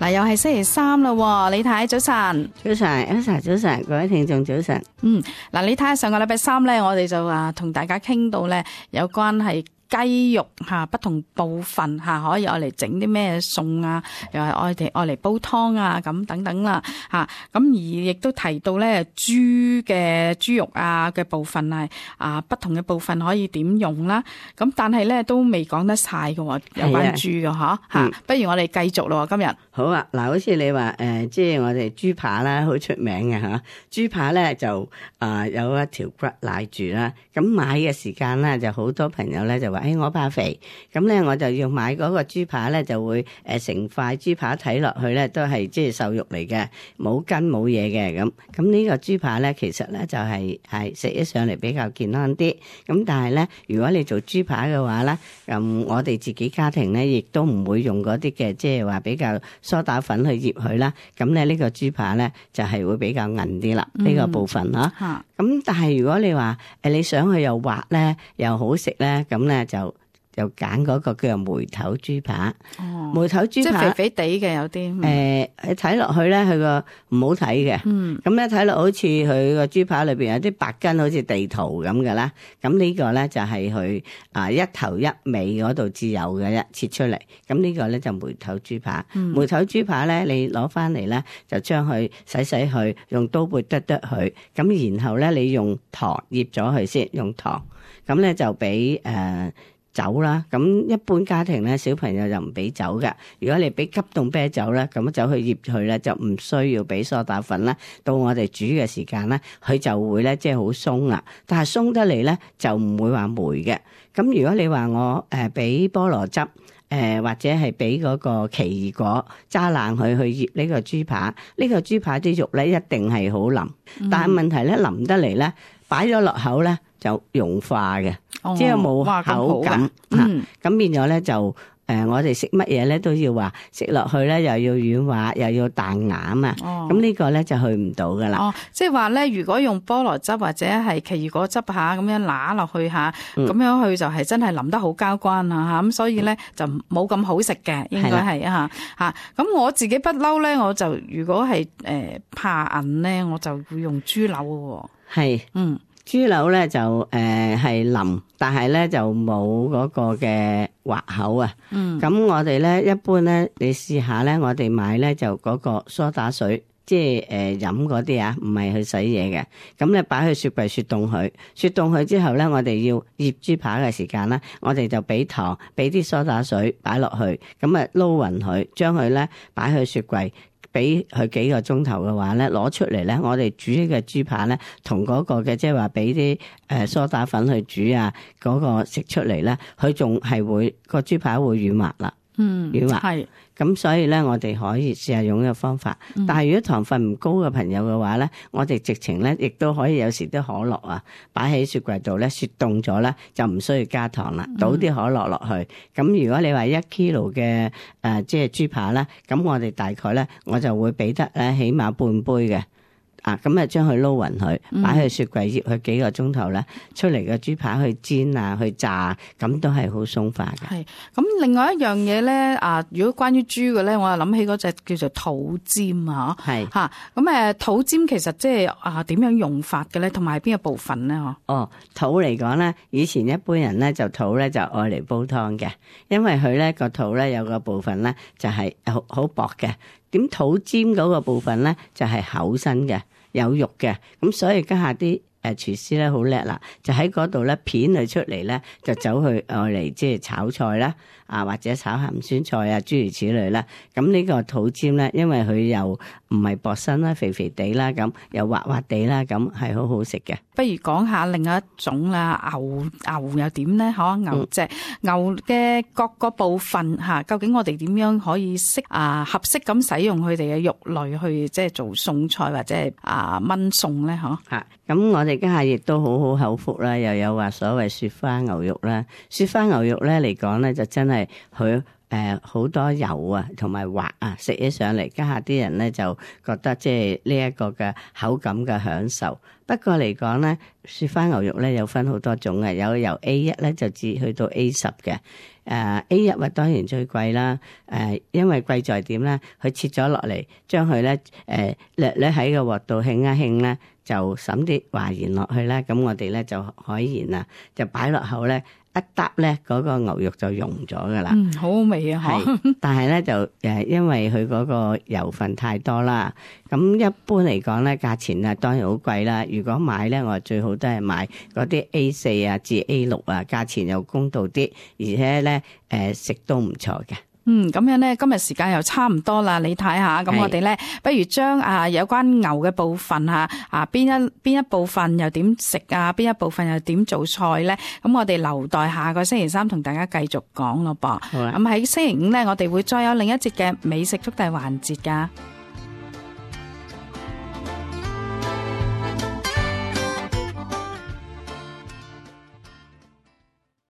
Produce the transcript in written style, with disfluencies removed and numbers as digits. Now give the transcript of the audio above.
嗱，又係星期三啦，李太早晨。早晨，Elsa早晨，各位聽眾早晨。嗱，李太上個禮拜三咧，我哋就同大家傾到咧有關係雞肉不同部分可以愛嚟整啲咩餸啊，又係愛嚟煲湯啊咁等等啦咁而亦都提到咧豬肉嘅部分不同嘅部分可以點用啦。咁但係咧都未講得晒嘅喎，有關豬嘅不如我哋繼續咯今日。好啊，嗱，好似你話即係我哋豬扒啦，好出名嘅嚇。豬扒咧就有一條骨賴住啦。咁買嘅時間咧就好多朋友咧就話，我怕肥，咁咧我就要買嗰個豬扒咧，就會成塊豬扒睇落去咧都係即係瘦肉嚟嘅，冇筋冇嘢嘅咁。咁呢個豬扒咧其實咧就係食起上嚟比較健康啲。咁但係咧，如果你做豬扒嘅話咧，我哋自己家庭咧亦都唔會用嗰啲嘅即係話比較梳打粉去醃佢啦。咁咧呢個豬扒咧就係會比較韌啲啦，呢個部分啦。咁但係如果你話你想佢又滑咧又好食咧，咁咧就揀嗰個叫做梅頭豬扒。梅頭豬扒即係肥肥地嘅有啲。你睇落去咧，佢個唔好睇嘅。咁咧睇落好似佢個豬扒裏邊有啲白筋，好似地圖咁嘅啦。咁呢個咧就係佢一頭一尾嗰度至有嘅啫，切出嚟。咁呢個咧就梅頭豬扒。梅頭豬扒咧，你攞翻嚟咧就將佢洗佢，用刀背剁佢。咁然後咧你用糖醃咗佢先，用糖。咁咧就俾酒啦，咁一般家庭咧，小朋友就唔俾酒㗎。如果你俾急凍啤酒咧，咁走去醃佢咧，就唔需要俾梳打粉啦。到我哋煮嘅時間咧，佢就會咧即係好鬆啦。但係鬆得嚟咧，就唔會話霉嘅。咁如果你話我俾菠蘿汁，或者係俾嗰個奇異果揸爛佢去醃呢個豬扒，呢個豬扒啲肉咧一定係好腍。但係問題咧腍得嚟咧，擺咗落口咧就融化嘅。即係冇口感，咁變咗咧就我哋食乜嘢咧都要話食落去咧，又要軟滑，又要彈牙啊。咁呢個咧就去唔到噶啦。即係話咧，如果用菠蘿汁或者係奇異果汁咁樣揦落去咁樣佢就係真係淋得好交關咁所以咧就冇咁好食嘅，應該係咁我自己不嬲咧，我就如果係怕韌咧，我就會用豬柳嘅。豬柳咧就係腍，但係咧就冇嗰個嘅滑口啊。咁我哋咧一般咧，你試下咧，我哋買咧就嗰個梳打水，即係飲嗰啲唔係去洗嘢嘅。咁咧擺去雪櫃雪凍佢，雪凍佢之後咧，我哋要醃豬扒嘅時間咧，我哋就俾糖，俾啲梳打水擺落去，咁啊撈勻佢，將佢咧擺去雪櫃。俾佢幾個鐘頭嘅話咧，攞出嚟咧，我哋煮嘅豬扒咧，同嗰個嘅即係話俾啲梳打粉去煮嗰個食出嚟咧，佢仲係會個豬扒會軟滑啦，軟滑係。咁所以咧，我哋可以試下用呢個方法。但係如果糖分唔高嘅朋友嘅話咧，我哋直情咧亦都可以有時啲可樂擺喺雪櫃度咧，雪凍咗咧就唔需要加糖啦，倒啲可樂落去。咁如果你話1 kilo 嘅即係豬扒咧，咁我哋大概咧我就會俾得咧起碼半杯嘅。咁將佢撈勻佢，擺去雪櫃醃佢幾個鐘頭咧，出嚟嘅豬扒去煎去炸，咁都係好鬆化嘅。係咁，另外一樣嘢咧，如果關於豬嘅咧，我又諗起嗰隻叫做肚尖係嚇。咁肚尖其實即係點樣用法嘅咧，同埋邊個部分咧？肚嚟講咧，以前一般人咧就肚咧就愛嚟煲湯嘅，因為佢咧個肚咧有個部分咧就係好薄嘅。點肚尖嗰個部分咧就係厚身嘅，有肉嘅，咁所以家下啲廚師咧好叻啦，就喺嗰度咧片佢出嚟咧，就走去愛嚟即係炒菜啦，或者炒鹹酸菜諸如此類啦。咁呢個肚尖咧，因為佢又唔係薄身啦，肥肥地啦，咁又滑滑地啦，咁係好好食嘅。不如講下另一種啦，牛又點咧？牛隻牛嘅各個部分究竟我哋點樣可以合適咁使用佢哋嘅肉類去即係做餸菜或者係燜餸咧？咁我哋家下亦都好好口福啦，又有話所謂雪花牛肉啦。雪花牛肉咧嚟講咧，就真係佢好多油同埋滑食起上嚟，家下啲人咧就覺得即係呢一個嘅口感嘅享受。不過嚟講咧，雪花牛肉咧有分好多種嘅，有由 A1 咧就至去到 A10 嘅。A1 啊當然最貴啦，因為貴在點咧？佢切咗落嚟，將佢咧略喺個鑊度興一興咧，就揼啲華鹽落去咧，咁我哋咧就海鹽啊，就擺落口咧。一嗒咧，嗰個牛肉就溶咗噶啦，好好味啊！係，但係咧就因為佢嗰個油分太多啦，咁一般嚟講咧，價錢啊當然好貴啦。如果買咧，我最好都係買嗰啲 A4 啊至 A6啊，價錢又公道啲，而且咧食都唔錯嘅。咁樣咧，今日時間又差唔多啦，你睇下，咁我哋咧，不如將有關牛嘅部分邊一部分又點食啊，邊一部分又點做菜咧？咁我哋留待下個星期三同大家繼續講咯噃。咁喺星期五咧，我哋會再有另一節嘅美食速遞環節噶。